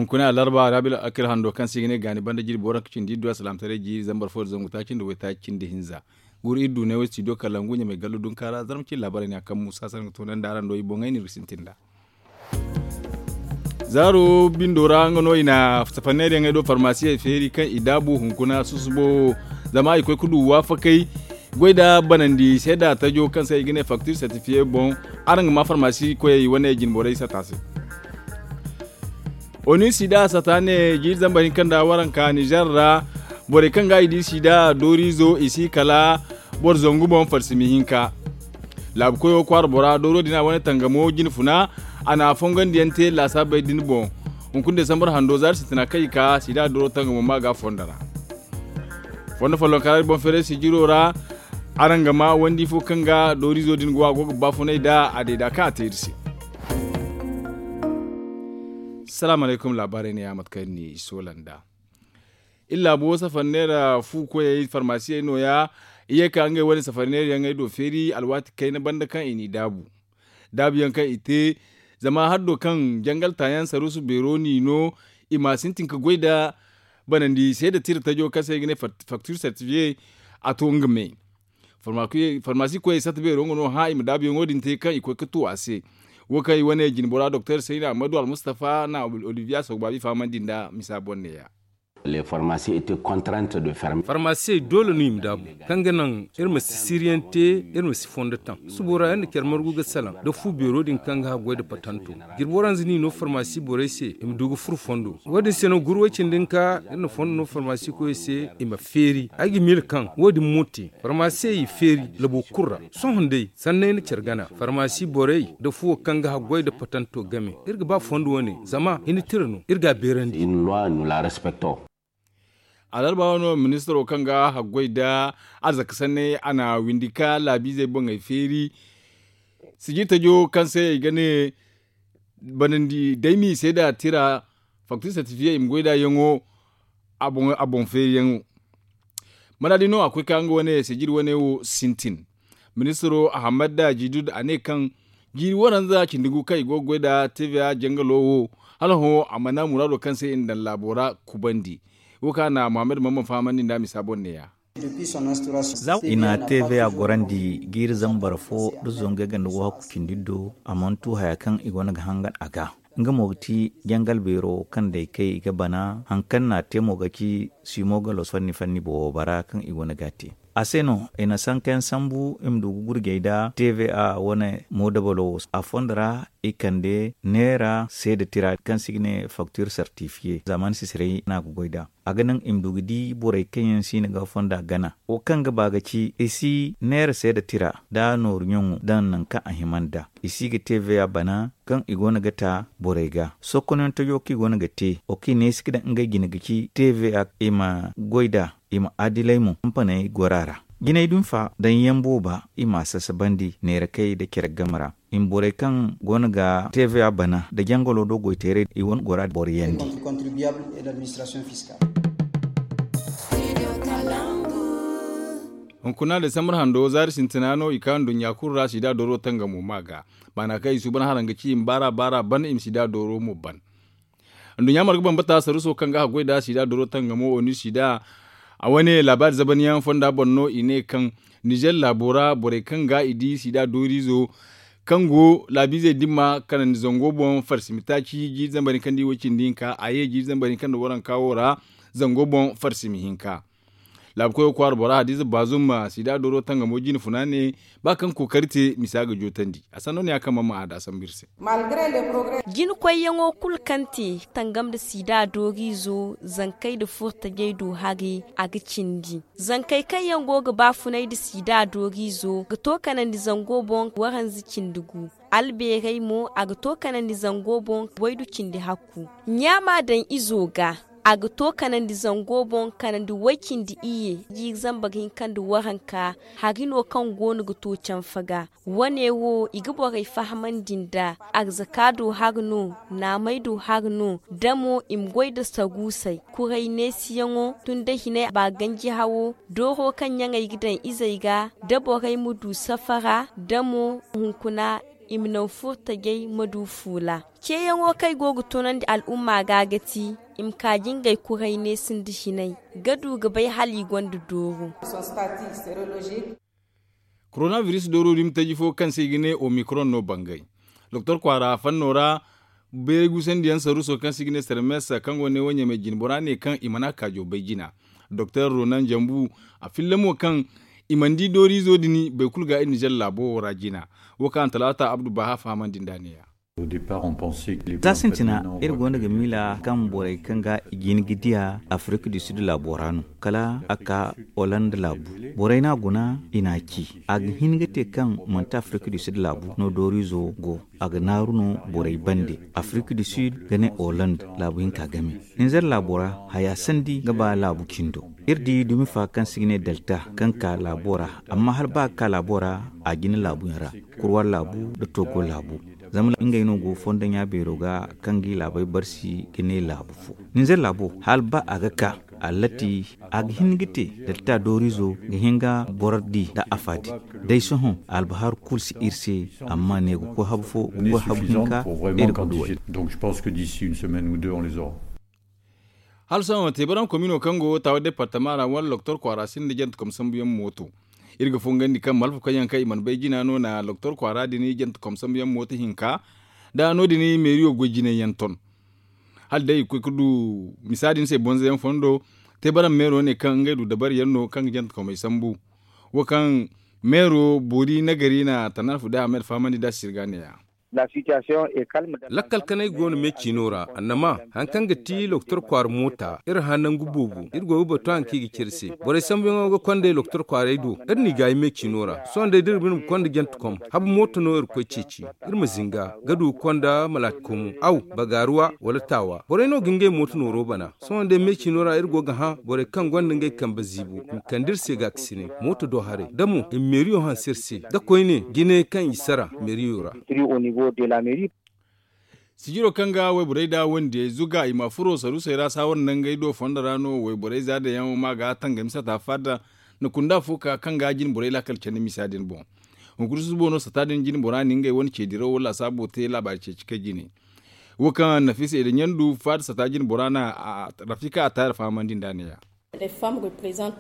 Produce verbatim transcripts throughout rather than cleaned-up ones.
Hunkuna alarba rabil akil hando kaŋ se i ga ne gaani banda jirbi waranka cindi iddu alsilaamataray jiiri zambar fo nda zangu taaci nda waytaaci cindi hinza. Guru iri du ne wo studio kalangu ɲamay gallo dunkaara zarma cindi laabaarey ne a kaŋ muusa sara ga toonandi araŋ do i boŋey no iri ga sintin nd'a. Zaaro bindo ra nga no i na safanneeriyaŋey do farmaasiyey feeri kaŋ i daabu hunkuna susubo. Zama i koy ga du waafakey goy nda banandi seeda tajo kaŋ se i ga ne faktir sertifiye boŋ. Araŋ ga ma farmaasi koyey wane jinborey sata se. Oni sida sata ne jiiri zambar hinka nda waranka nizer ra. Borey kaŋ ga i di sida dooriizo i si kala boro zangu boŋ farsimi hinka. Laabu koyo kwaara bora dooro din a wane tangamo jine funa a na fongandiyaŋ te laasaabey din boŋ. Hunkuna desambar hando zaari sintina kaŋ i ka sida dooro tangamo ma ga fondo ra. Fondo follonkara iri boŋ feeray sijiro ra. Araŋ ga ma wandi fo kaŋ ga dooriizo din go a go ga baafunay nd'a a deeda kaŋ a te iri se. Salaamu alaykum laabaarey ne ya mate kaŋ iri n'i soola nd'a. Iri laabo safarneera fu koyey farmaasiyey nooya. I ye ka ngey wane safarneera yaŋey do feeri alwaati kayna banda kaŋ i n'i daabu. Daabuyaŋ kaŋ i te zama haddo kaŋ jangal taayaŋ saruusu beero n'i no. I ma sintin ga goy nda banandi seeda tira tajo kaŋ se i ga ne faktir sertifiye. A to nga me farmaasi koyey satta beero nga no hã i ma daabuyaŋo din te kaŋ i koy ga tu a se. Wo kaŋ i wane jinbora doktor sayna ahmadu almustafa na oliviya sogbabi fahamandi nda misa boŋ neeya. Farmaasiyey doole no i ma daabu kaŋ ga naŋ iri ma si siiriyaŋ te. Iri ma si fondo taŋ subo ra iri na care margu ga salaŋ nda fu beero din kaŋ ga haggoy nda patanto. Jirbi waranza no i no farmaasi borey se i ma du ga furo fondo. Wo- din se no guru way-cindi hinka iri na fondo no farmaasi koyey se i ma feeri ay ga miila kaŋ wo- din mo te farmaasiyey i feeri labo kulu ra. Sohõ day sanney na care gana farmaasi borey nda fuwo kaŋ ga haggoy nda patanto game. Iri ga ba fondo wane zama hina tira no iri ga a beerandi. Alarba wano ministaro kaŋ ga haggoy nda arzaka sanney a na windi ka laabiizey boŋey feeri. Sijir tajo kaŋ se i ga ne banandi day m'i seeda tira faktir sertifiye i ma goy nd'a yaŋo. A boŋ feeriyaŋo mana di no a koy ka nga wane sijir wane wo sintin. Ministiro ahammad da jidud a ne kaŋ jiiri waranza cindi gu kaŋ i go ga goy nda tva jangalo wo hala hõ a mana muraado kaŋ se i na daŋ laabo ra kubandi. Wo kaŋ a na muhammad mamman fahamandi nd'a misa boŋ neeya. I na tva gorandi jiiri zambar fo nda zangu yagga nda wahakku cindi do a mana tu haya kaŋ i go no ga hangan a ga. Nga mo ga ti jangal beero kaŋ day kay i ga bana hari kaŋ no a te mo ga ci simo ga los fanni fanni boobo bara kaŋ i go no ga a te. A se no i na sankayaŋ sambu i ma du ga gurjey nda tva wane moodabalo wo a fondo ra i kande neera seeda tira kaŋ se i ga ne faktir sertifiye zamani sisiray no a ga goy nd'a. A ga naŋ i ma du ga di borey kaŋ yaŋ siino ga fonda gana wo kaŋ ga ba ga ci i si neera seeda tira nda nooru ɲaŋo daŋ nangu kaŋ a hima nd'a. I si ga tva bana kaŋ i go no ga ta borey ga sokkonayaŋ tajo kaŋ i go no ga te wo kaŋ i neesi ga daŋ ngey jine ga ci tva i ma goy nd'a. I ma adilay mo kampaney goro a ra jinay din fa daŋ yaŋ booba i m'a sasabandi neera kay nda care game ra. I ma borey kaŋ go no ga tva bana nda jangalo do goyteeray i wane gora boroyandi. Hunkuna desambar hando zaari sintina no i ka nduɲɲa kulu ra sida dooro tangamo ma ga. Baana kaŋ i suuban haraŋ ga ci i ma baara baara ban i ma sida dooro mo ban. Nduɲɲa marga bambata saruuso kaŋ ga haggoy nda sida dooro tangamo oni sida a wane laabaari zabaniyaŋ fonda boŋ no i ne kaŋ nizer laabo ra borey kaŋ ga i di sida dooriizo kaŋ go laabiizey dimma kanandi zango boŋ farsimi taaci jiiri zambar hinka nda i way cindi hinka a ye jiiri zambar hinka nda waranka wo ra zango boŋ farsimi hinka. Laabu koyo kwaara bora hadiza baazum ma sida dooro tangamo jine funa ne ba kaŋ kookari te misa ga jootandi a sanno ne ya kaŋ man ma a da sambu iri se. Jina koyyaŋo kulu kaŋ te tangam nda sida dooriizo zankey nda furtajey du hari a ga cindi. Zankey kaŋ yaŋ go ga baafunay nda sida dooriizo ga to kanandi zango boŋ waranza cindi gu. Albeerey mo a ga to kanandi zango boŋ waydu cindi hakku. Ɲaama daŋ izo ga a ga to kanandi zango boŋ kanandi way cindi iyye jiiri zambar hinka nda waranka. Hari no kaŋ go no ga to canfa ga. Wane wo i ga borey fahamandi nda arzaka do hari no, naamey do hari no, damo i ma goy nda saruusey kuray neesiyaŋo tun da hinay ba ganji hawo. Dooro kaŋ ɲaŋey ga daŋ izey ga da borey ma du safara damo hunkuna. i ma naŋ furtajey ma du fuula. Ceeyaŋo kaŋ ay go ga tunandi al'umma ga ga ti i ma kaaji ngey kuray neesin da hinay ga du ga bay hala i gonda dooru. Korona biris dooro dumi taji fo kaŋ se i ga ne omikron no bangay doktor kwaara fanno ra. Bayray guusandiyaŋ saruuso kaŋ se i ga ne sermes kaŋ go ne wo ɲamay jine bora ne kaŋ i mana kaajo bay jina. Doktor ronan jambu a filla mo kaŋ i mana di dooriizo din baikulu ga iri nizer laabo wo ra jina. Wo kaŋ talaata abdu baha fahamandi nd'a ne-ya. Za sintina iri go no ga miila kaŋ borey kaŋ ga i jin ga diya afirika du sid laabo ra no kala a ka holand laabu. Borey no a guna i n'a ci a ga hin ga te kaŋ manti afirika du sid laabu no dooriizo go. A ga naaru no borey bande afirika du sid ga ne holand laabu hinka game. Nizer laabo ra haya sandi ga ba laabu cindo. Iri di dumi fa kaŋ se i ga ne delta kaŋ ka laabo ra amma hala ba ga ka laabo ra a jina laabuyaŋ ra kurwa laabu nda togo laabu. Zama ngey no go fondo ɲa beero ga kaŋ ga i laabey barsi ga ne laabu fo. Ninzeer laabo hala ba a ga ka a latti a ga hin ga te. Dalta dooriizo ga hin ga boro di nda afa di. Day sohõ albahaaru kulu si iri se amma ne ga koy habu fo ga koy habu hinka. Iri ga du way. Hala sohõ teebarankomino kaŋ go taawa departama ra wala doktor kwaara sinda jante kom sambuyaŋ mooto. Iri ga fongandi kaŋ malfakoyyaŋ kaŋ i mana bay jina no na doktor kwaara din jante kom sambuyaŋ mooto hinka nda no- din meeriyo goy jinayyaŋ ton. Hala day i ga koy ga du misa din se bonzoyaŋ fondo. Teebaram meero ne kaŋ ngey du dabariyaŋ no kaŋ ga jante komey sambu. Wo kaŋ meero boori nagari na tanarfu day a ma iri fahamandi nd'a sirga ne- ya. Lakkal kanay go no me ciino ra annama hari kaŋ ga ti loktor kwaara moota iri hã nangu boobo iri go ga batu hari kaŋ i ga ci iri se. Borey sambuyaŋo ga kondey loktor kwaaray do iri n'i gaayi me ciino ra. Sohõ day da iri bine ma konda jante kom habu mooto no iri ga koy ceeci. Iri ma zinga ga du ga konda malaati komo aw bagaaruwa wala taawa borey no ga ngey mooto nooro bana. Sohõ day me ciino ra iri go ga hã borey kaŋ gonda ngey kambe ziibo i ma kande iri se gaakasinay mooto do haray da mo i ma meeriyo hanse iri se da koyne jine kaŋ i sara meeriyo ra. Sijiro kaŋ ga wayborey da wandiyey zuga i ma furo saruusey ra saawar nangey do fondo ra no wayborey za daŋ yaŋo ma ga tangami sata faada. Na kunda fo ka kaŋ ga jine borey laakal candi misa din boŋ. Hunkuna susubo no sata din jine bora na ngey wane ceedirawo laasaabo te laabaari ceeci kay jine. Wo kaŋ nafisa i da ɲandu faada sata jine bora na rafika a taari fahamandi nd'a ne- ya.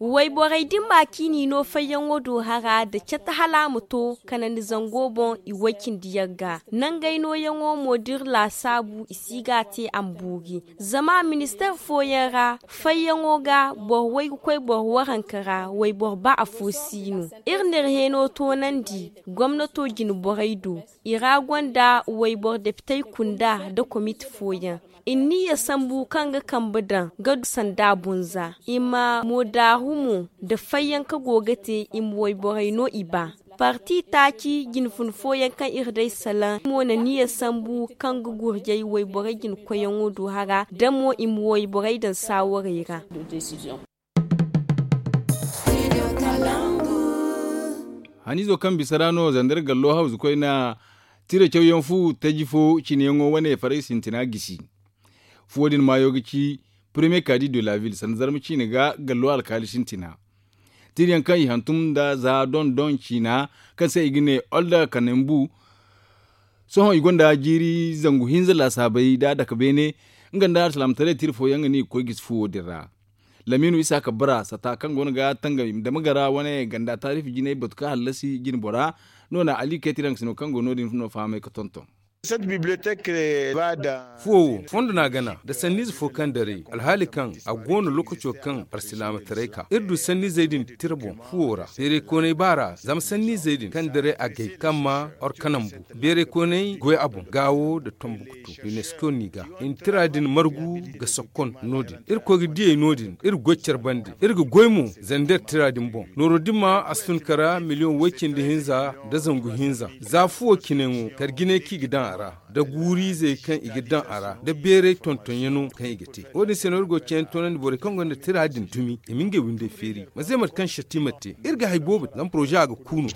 Wayborey din ma ciini no fayyaŋo do hara nda cata hala a ma to kanandi zango boŋ i way-cindi yagga. Nangey nooyaŋo mo da iri laasaabu i si ga a te a ma boori. Zama ministeer fooyaŋ ra fayyaŋo ga boro way ga koy boro waranka ra wayboro ba afo si no. Iri na iri heeno toonandi gomnato jine borey do. I ra gonda wayboro depitey kunda nda komite fooyaŋ. I na niyya sambu kaŋ ga kambe daŋ ga du sanda bunza i ma moodaaru mo nda fayyanka go ga te i ma wayborey no i ba. Parti taaci jinfun fooyaŋ kaŋ iri day salaŋ mo na niyya sambu kaŋ ga gurjay wayborey jinkoyyaŋo do hara da mo i ma wayborey daŋ saawarey ra. Haniizo kaŋ bisa ra no zandar gallo hawzu koyne tira cawyaŋ fu taji fo cineyaŋo wane faray sintina gisi. Fuwo din maayo ga ci premier kadi de la ville sanda zarma ciine ga gallo alkaali sintina. Tirayaŋ kaŋ i hantum nda za don don ciina kaŋ se i ga ne olda kanembu. Sohõ i gonda jiiri zangu hinza laasaabey da daka beene nga nda alsilaamataray tira fooyaŋ ga ne i ga koy gisi fuwo din ra. Lamiinu isaaka bara sata kaŋ go no ga tangami dama gara wane ganda taarifi jinay batu kaŋ hallasi jine bora. No na ali kay tiraŋ sino kaŋ go no- din no fahamay ga tonton. Fuwo wo fondo no a gana nda sanniize fo kaŋ daray alhaali kaŋ a go no lookaco kaŋ alsilaamataray ka iri du sanniizey din tira boŋ fuwo ra beeraykoonay baara zama sanniizey din kaŋ daray agay kaŋ ma orkanambu beeraykoonay goy a boŋ gaawo nda tombukutu. Unesco n'i ga i na tira din margu ga sokkon no- din iri koy ga diyey no- din iri goy care bande iri ga goy mo zandar tira din boŋ nooro din ma a si tun kara miliyoŋ way-cindi hinza nda zangu hinza. Za fuwo cineyaŋo kala jinay kaŋ i ga daŋ a ra nda guuriizey kaŋ i ga daŋ a ra nda beeray tontonyaŋo kaŋ i ga te. Wo- din se no iri go ga cayandi toonandi borey kaŋ gonda tira din dumi i ma ngey windey feeri ma ze mate kaŋ satti ma te iri ga hari boobo te zama poroze a ga ku no.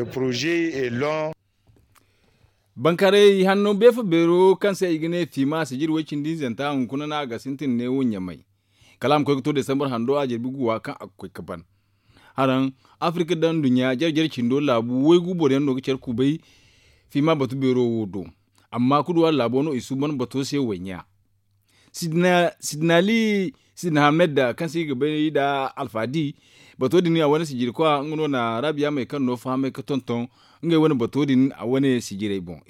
Bankaarey hanno beefa beero kaŋ se i ga ne fiima sijir way-cindi-izanta hunkuna no a ga sintin neewo ɲamay. Kala a ma koy ga to desambar hando a jirbi guwa kaŋ a ga koy ga ban. Haraŋ afirika nda nduɲɲa jare jare cindo laabu waygu boroyaŋ no ga care kubay. Fiima batu beero wo do. Amma kudu wala laabo no i suuban bato se waynya. Sidina ali sidina hamed kaŋ se i ga bay nda alfaadi. Bato din a wane sijiri kwa nga no na raabiya may kaŋ no fahamay ga tonton ngey wane bato din a wane sijiray boŋ.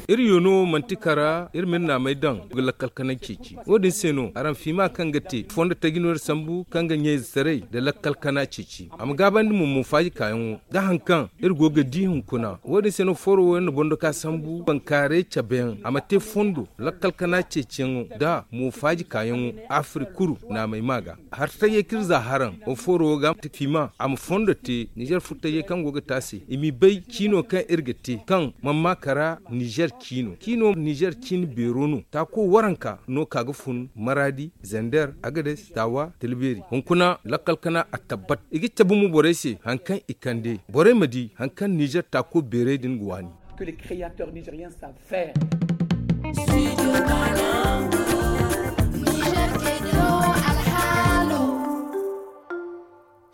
Iri yo no manti kara iri ma iri naamey daŋ ga lakkal kanay ceeci. Wo- din se no araŋ fiima kaŋ ga te fondo taji no iri sambu kaŋ ga ɲayze taray nda lakkal kana ceeci a ma gaabandi mo mo faaji kaayaŋo. Da hari kaŋ iri go ga di hunkuna wo- din se no fooro wo yaŋ na bondo ka sambu bankaaray cabe yaŋ a ma te fondo lakkal kana ceeciyaŋo nda mo faaji kaayaŋo. Afirka kulu naamey ma ga hari tayyey kaŋ iri za haraŋ wo fooro wo ga fiima a ma fondo te nizer furtayyey kaŋ go ga te a se i m'i bay ciino kaŋ iri ga te kaŋ mana ma kara nizer ciino ciino nizer ciini beero no taako waranka no ka ga fun maraadi zander agades taawa talbeeri hunkuna lakkal kana a tabbat i ga cabe mo borey se hari kaŋ i kande borey ma di hari kaŋ nizer taako beerey din ga waani.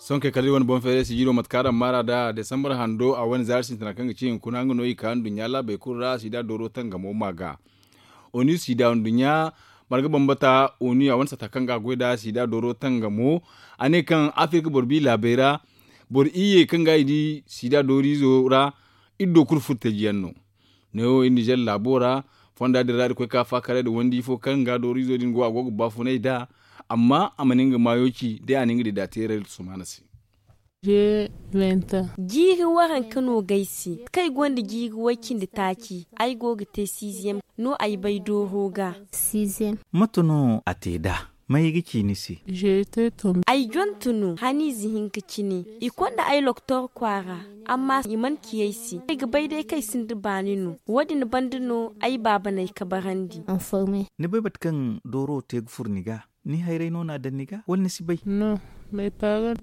Sohõ kay kala iri wane boŋ feeray sijiro mate kaŋ araŋ maara nd'a desambar hando a wane zaari sintina kaŋ ga ci hunkuna nga no i ka nduɲɲa laabey kulu ra sida dooro tangamo ma ga. Oni sida nduɲɲa marga bambata oni a wane sata kaŋ ga a goy nd'a sida dooro tangamo a ne kaŋ afirka boro bi laabey ra boro iyye kaŋ ga i di sida dooriizo ra. Iri do kulu furtaji yaŋ no. Neewo iri nizer laabo ra fonda din ra iri koy ka faakaray nda wandi fo kaŋ ga dooriizo din go a go ga baafunay nd'a. Amma a mana nga maayo ci day a na nga dida teeray nda sumaana se. Jiiri waranka no ga ay se kaŋ ay gonda jiiri way-cindi taaci ay go ga te siiziyem no ay bay dooro ga. Mate no a te nd'a? May ga ci ni se? Ay jontu no haniize hinka cine i konda ay loktor kwaara. Amma i mana ci ay se ay ga bay day kaŋ ay sinda baani no. Wo- din banda no ay baaba n'ay kabarandi. Ni bay mate kaŋ dooro te ga furo ni ga? Ni hayray no n'a daŋ ni ga wala ni si bay?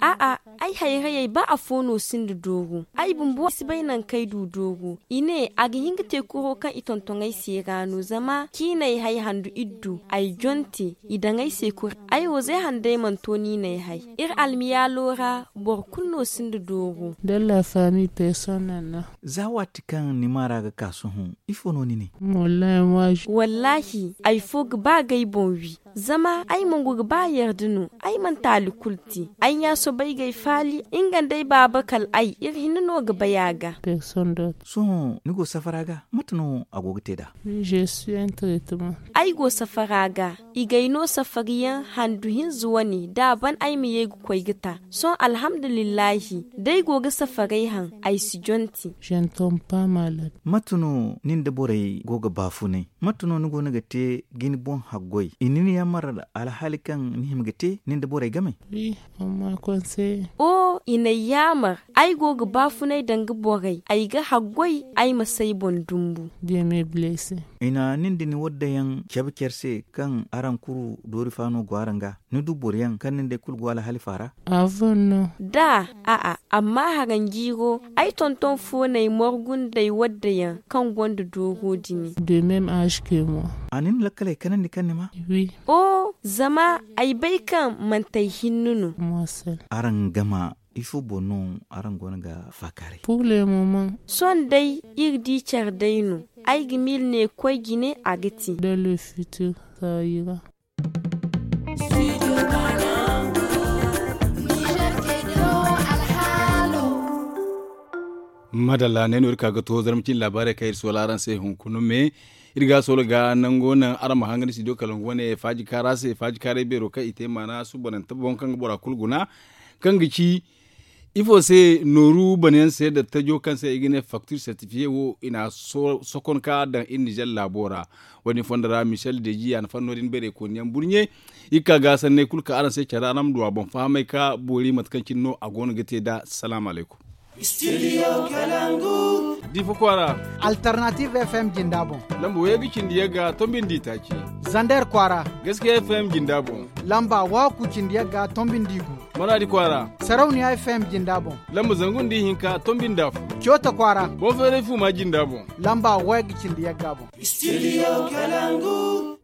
A'a, ay hayrayey ba afo no sinda dooro ay bumbo si bay nangu kaŋ ay du dooro. I ne a ga hin ga te kuro kaŋ i tonton ay se ra no zama ciinay hay handu iri du ay jonte. I daŋ ay se kuri ay wo zay handay mana to niinay hay. Iri almiyaalo ra boro kulu no sinda dooro. Za waati kaŋ ni maara ga ka sohõ ifo no ni ne? Wallaahi ay fo ga ba ga ay boŋ wi. Zama ay mongo ga ba yarda no ay mana taali kulu te. Ay ɲa soobay ga ay faali nga nda ay baaba kala ay iri hinne no ga bay a ga. Sohõ ni go safara ga mate no a go ga te nd'a? Ay go safara ga i ga ay no safariyaŋ handu hinza wane da a ban ay ma ye ga koy ga ta. Sohõ alhamdulillahi da ay go ga safaray haŋ ay si jonti. Mate no ni nda borey go ga baafunay? Mate no ni go no ga te ga ni boŋ haggoy i na ni yaamar alhaali kaŋ ni hima ga te ni nda borey game? O i n'ay yaamar ay go ga baafunay danga borey ay ga haggoy ay ma s'ay boŋ dumbu. I na nin da ni wadda yaŋ cabe care se kaŋ araŋ kuru doori fa no go araŋ ga? Ni du boro yaŋ kaŋ nin da ay kulu go alhaali fa ra? Da a'a amma haranjiiro ay tonton fo n'ay morgu nd'ay wadda yaŋ kaŋ gonda dooro dini. A na ni lakkaley kanandi kaŋ ni ma? O zama ay bay kaŋ manti ay hinne no. Araŋ gama ifo boŋ no araŋ go no ga faakaaray? Sohõ day iri di care day no. Ay ga miila ne koy jine a ga ti. Madalla ne no iri ka ga to zarma cine laabaarey kaŋ iri soola araŋ se hunkuna me. Iri ga soola ga nango naŋ araŋ ma hangandi studio kalangu wane faaji kaara se faaji kaaray beero kaŋ i te maana suubanante boŋ kaŋ ga bora kulu guna. Kaŋ ga ci ifo se nooru banayaŋ se nda tajo kaŋ se i ga ne facture certifiye wo i n'a sokon ka daŋ iri nizer laabo ra. Wo- din fondo ra michel deji a na fanno din beerey kooniyaŋ burɲe. Iri ga ka ga sanney kulu ka araŋ se care ra araŋ ma du a boŋ fahamay ka boori mate kaŋ cine no a go no ga te nd'a. Salaamu alaykum. Diifa kwaara. Alternative f m jinda boŋ. Lamba wayga cindi yagga tombi nda itaaci. Zander kwaara. Gaskiya f m jinda boŋ. Lamba waaku cindi yagga tombi nda igu. Maraadi kwaara. Sarauniya f m jinda boŋ. Lamba zangu nda ihinka tombi nda afo. Coota kwaara. Boŋ feeray fuuma jinda boŋ. Lamba wayga cindi yagga boŋ. Studio kalangu.